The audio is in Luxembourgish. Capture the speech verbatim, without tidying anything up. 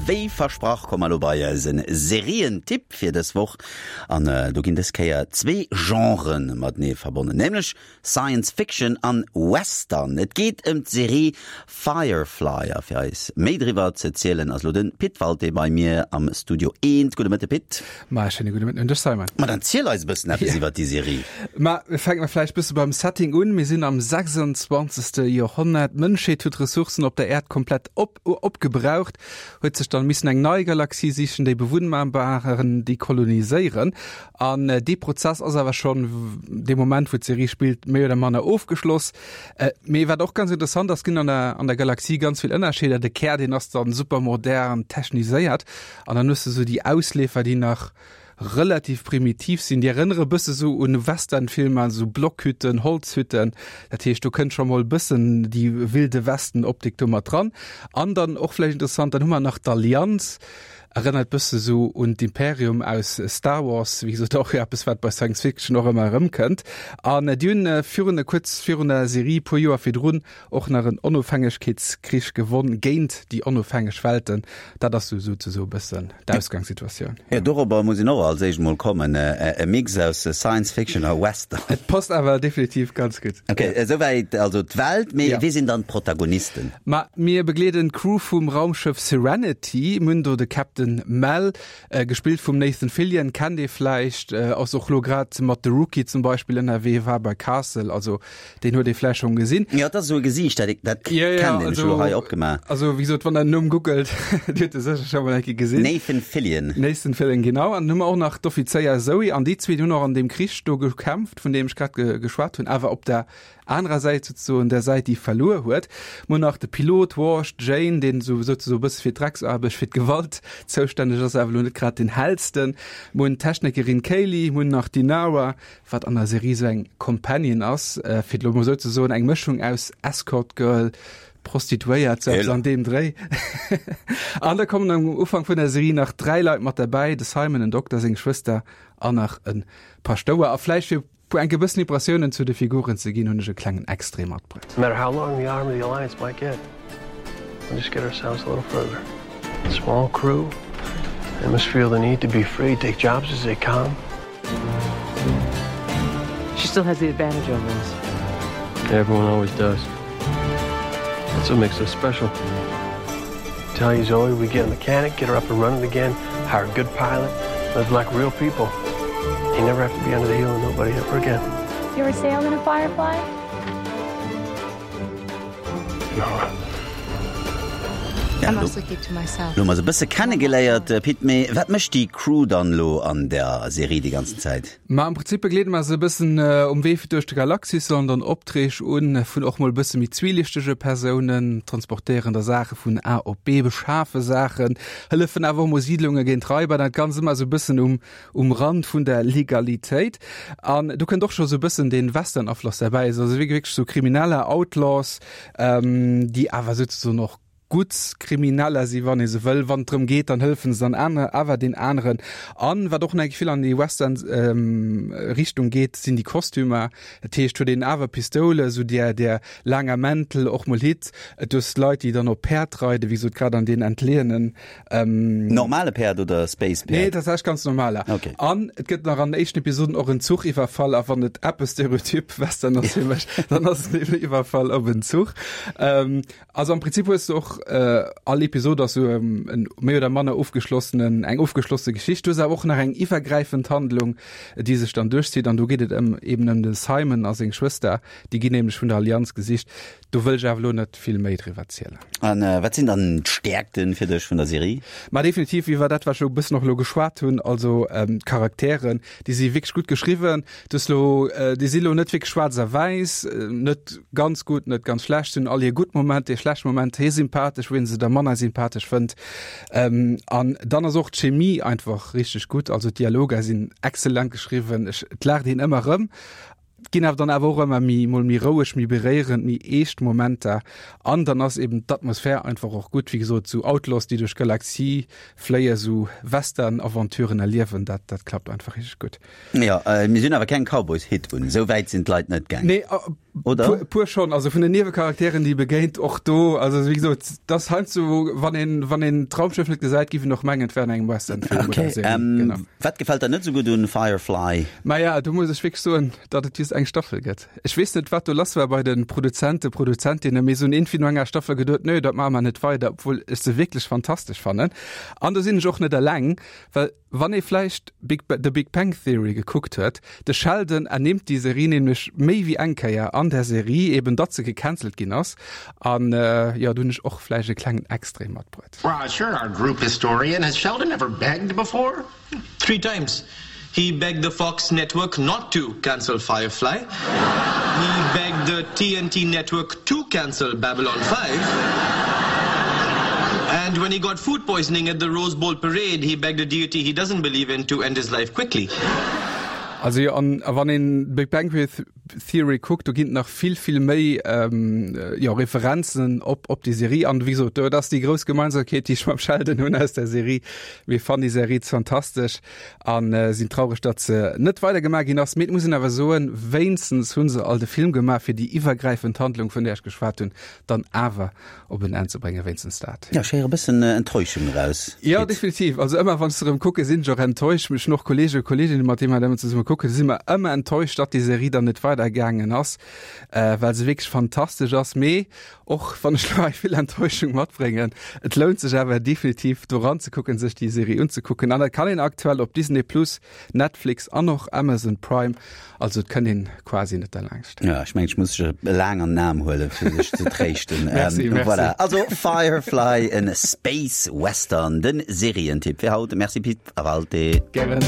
Wéi versprach komme mer elo bei eisen Serientipp fir dës Woch. An do ginn dës Kéier zwee Genren matenee verbonnen, nämlech Science Fiction an Western. Et geet ëm d'Serie Firefly a fir eis méi driwwer ze zielen ass elo de Pit Walté bei mir am Studio eent. Gudde Mëtte Pit. Ma e schéine gudde Mëtten un dech Simon. Ma dann ziel eis e bëssen eppes iwwer déi Serie. Ma fänke mer vläicht bësse beim Setting un. Mir sinn am sechsundzwanzegste Joerhonnert. D'Mënschheet huet d'Ressourcen op der Äerd komplett op opgebraucht, huet sech dann missen eng nei Galaxie sichen, déi bewunnbar waren, déi koloniséieren. An dee Prozess ass awer schonn dee Moment, wou d'Serie spillt, méi oder manner ofgeschloss. Mee wat och ganz interessant ass, ginn an der an der Galaxie ganz vill Ënnerscheeder. De Kär, deen ass dann super modern, techniséiert. An dann hues de sou déi Ausleefer, déi nach relativ primitiv sinn. Déi erënnere bësse sou un Westernfilmer, sou Blockhütten, Holzhütten. Dat heescht, do kënnt scho mol bëssen déi Wilde Westen-Optik do mat dran. An dann och vläicht interessant, dann hu mer nach d'Allianz, erënnert bësse sou un d'Imperium aus Star Wars, wéi gesot och eppes, wat bei Science Fiction och ëmmer erëmkënnt. An déi hunn virun, kuerz virun der Serie, puer Joer virdrun, och nach en Onofhängegkeetskrich gewonn géint déi onofhängeg Welten. Dat ass sou souzesoe bëssen d'Ausgangssituatioun. Jo, dorobber muss een och als éischt mol kommen, e Mix aus Science Fiction a Western. Et passt awer definitiv ganz gutt. Ok, esouwäit also d'Welt. Mee wie sinn dann d'Protagonisten? Ma mir begleeden d'Crew vum Raumschëff Serenity. Mir hunn do de Captain Mal, gespillt vum Nathan Fillion, kennt ee vläicht, ass och lo grad mat The Rookie zum Beispill ënnerwee, war bei Castle, also deen huet ee vläicht schonn gesinn. Jo, dat ass esou e Gesiicht, dat dat kennen ech elo hei opgemaach. Also wéi gesot, wann der den Numm googelt, Dir hutt e sécher scho mol eng Kéier gesinn. Nathan Fillion. Nathan Fillion, genau. An dann hu mer och nach d'Offizéier Zoe an déi zwee, déi hunn och an deem Krich do gekämpft, vun deem ech grad geschwat hunn, awer op der anerer Säit souzesoen, der Säit, déi verluer huet. Mer hunn nach de Pilot Wash, d'Jane, deen esou souzesoe bësse fir d'Drecksaarbecht, fir d'Gewalt zoustänneg ass, awer elo net grad den hellsten. Mer hunn d'Technikerin Kaylee, mer hunn nach d'Inara, wat an der Serie esou eng Companion ass, fir et elo mol esou ze soen, eng Mëschung aus Escort Girl, Prostituéiert, sou eppes an deem Dréi. An da kommen am Ufank vun der Serie nach dräi Leit mat derbäi, de Simon, en Dokter, seng Schwëster an nach e Paschtouer. A vläicht fir puer enke bëssen Impressiounen zu de Figuren ze ginn, hunn ech e klengen Extrait matbruet. No matter how long the arm of the Alliance might get, we'll just get ourselves a little further. Small crew, they must feel the need to be free, take jobs as they come. She still has the advantage over us. Everyone always does. That's what makes us special. Tell you Zoe, we get a mechanic, get her up and running again, hire a good pilot, live like real people. You never have to be under the heel of nobody ever again. You ever sailed in a Firefly? No. Ja, lo, lo hu mer se e bësse kennegeléiert, Pit, mee wat mécht déi Crew dann elo an der Serie déi ganzen Zäit? Ma am Prinzip begleede mer se e bëssen um Wee duerch d'Galaxis, sollen dann Opträg un vun och mol e bësse méi zwielichtege Persounen, transportéieren da Saache vun A op B, beschafe Saachen, hëllefen awer och mol Siidlunge géint Raiber, dat Ganzt ëmmer esou e bëssen um um Rand vun der Legalitéit. An do kënnt och scho sou e bëssen dee Western-Afloss derbäi, also wierklech sou Krimineller, Outlaws, déi awer souzesoen och gutt Krimineller si wann ee sou wëll. Wann et drëm geet, dann hëllefen se dann aner awer den aneren. An wat och nach vill an déi Western Richtung geet, sinn déi Kostümer. Dat heescht, huet een awer Pistoule, sou där där laanger Mäntel, och mol Hitt. Et hues Leit, déi dann op Päerd reiden, wéi gesot grad an deenen entleeënen. Normale Päerd oder Space Päerd? Nee, tatsächlech ganz normaler. Okay. An et gëtt nach an den éischten Episoden och en Zuchiwwerfall. A wann et eppes Stereotyp Western ass fir mech, dann ass et eben Iwwerfall op en Zuch. Also am Prinzip hues du och all Episod ass sou en méi oder manner ofgeschlossenen, eng ofgeschlosse Geschicht. Du hues awer och nach eng iwwergräifend Handlung, déi sech dann duerchzitt an do geet et ëm eben ëm de Simon a seng Schwëster. Déi ginn nämlech vun der Allianz gesicht. Do wëll ech awer elo net vill méi driwwer zielen. An wat sinn dann d'Stäerkten fir dech vun der Serie? Ma definitiv iwwer dat wat ech elo e bëssen och elo geschwat hunn, also d'Charakteren, déi si wierklech gutt geschriwwen. Du hues elo, déi si elo net wierklech schwaarz a wäiss, net ganz gutt, net ganz schlecht, si hunn all hir gutt Momenter, hir schlecht Momenter, hir sympathesch, wou ee se da manner sympathesch fënnt. An dann ass och d'Chemie einfach richteg gutt, also d'Dialoger sinn exzellent geschriwwen, ech, et laacht een ëmmer erëm. Et ginn awer dann awer och ëmmer méi, mol méi roueg, méi beréierend, méi eescht Momenter. An dann ass eben d'Atmosphär einfach och gutt, wéi gesot, sou Outlaws, déi duerch d'Galaxie fléien, sou Western-Aventuren erliewen, dat, dat klappt einfach richteg gutt. Jo, mir sinn awer keng Cowboys-Hitt un, esou wäit sinn d'Leit net gaang. Nee, Oder? Puer, puer schonn, also vun den Niewecharakteren, déi begéint och do, also wéi gesot, dat heiansdo wann een wann een d'Raumschëff net gesäit, giff een och mengen, et wär an engem Westernfilm okay. oder Serie. Ähm, Genau. Wat gefält der net sou gutt un Firefly? Maja, do muss ech wierklech soen, datt et just eng Staffel gëtt. Ech weess net, wat do lass war bei de Produzenten, Produzentinnen, mee se hunn iergendwéi no enger Staffel geduet, nö, dat maache mer net weider, obwuel ech se wierklech fantastesch fannen. An do sinn ech och net eleng, well wann ee vläicht Big, The Big Bang Theory gekuckt huet, de Sheldon ernimmt déi Serie nämlech méi wéi eng Kéier an der Serie, eben datt se gecancelt ginn ass. An jo, do hunn ech och vläicht e klengen Extrait matbruet. Raj, you're our group historian. Has Sheldon ever begged before? Three times. He begged the Fox network not to cancel Firefly. He begged the T N T network to cancel Babylon five. And when he got food poisoning at the Rose Bowl parade, he begged a deity he doesn't believe in to end his life quickly. Also jo, an a wann een Big Bang Theory kuckt, do ginn et nach vill, vill méi jo, Referenzen op, op déi Serie. An wéi gesot, dat ass déi grouss Gemeinsamkeet, déi ech mam Sheldon hunn aus der Serie. Mir fannen déi Serie fantastesch an sinn traureg, datt se net weidergemaach ginn ass. Mee et muss een awer soen, wéinstens hu se alt e Film gemaach, fir déi iwwergräifend Handlung, vun där ech geschwat hunn, dann awer op en Enn ze bréngen, wéinstens dat. Ja, ech héiere e bëssen Enttäuschung eraus. Jo, Pit. definitiv. Also ëmmer wann ech se erëm kucken, sinn ech och enttäuscht. Ech hunn och Kollegen, Kolleginnen, mat deene mer dat ëmmer zesumme kucken, si mer ëmmer enttäuscht, datt déi Serie dann net weidergaangen ass, well se wierklech fantastesch ass. Mee och wann ech elo hei vill Enttäuschung matbréngen, et lount sech awer definitiv do eranzekucken, sech déi Serie unzekucken. An dat kann een aktuell op Disney Plus, Netflix an och Amazon Prime. Also et kënnt een quasi net derlaanscht. Ja, ech mengen, ech muss dech laang an den Aarm huelen, fir dech ze tréischten. Merci, merci. Voilà. Also Firefly, en Space Western, den Serientipp fir haut. Merci Pit, a bald. Gären.